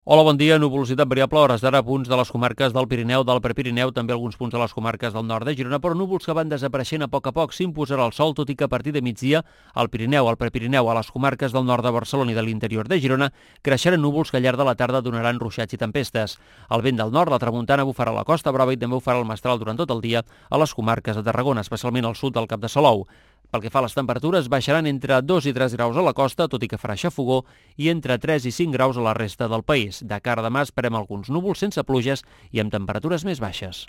Hola, bon dia. Nuvolositat variable a hores d'ara a punts de les comarques del Pirineu, del Prepirineu, també alguns punts de les comarques del nord de Girona, però núvols que van desapareixent a poc s'imposarà el sol, tot i que a partir de migdia al Pirineu, al Prepirineu, a les comarques del nord de Barcelona i de l'interior de Girona, creixeran núvols que al llarg de la tarda donaran ruixats i tempestes. El vent del nord, la tramuntana, bufarà a la Costa Brava i també bufarà el mestral durant tot el dia a les comarques de Tarragona, especialment al sud del Cap de Salou. Pel que fa a les temperatures, baixaran entre 2 i 3 graus a la costa, tot i que farà xafogó, i entre 3 i 5 graus a la resta del país. De cara a demà esperem alguns núvols sense pluges i amb temperatures més baixes.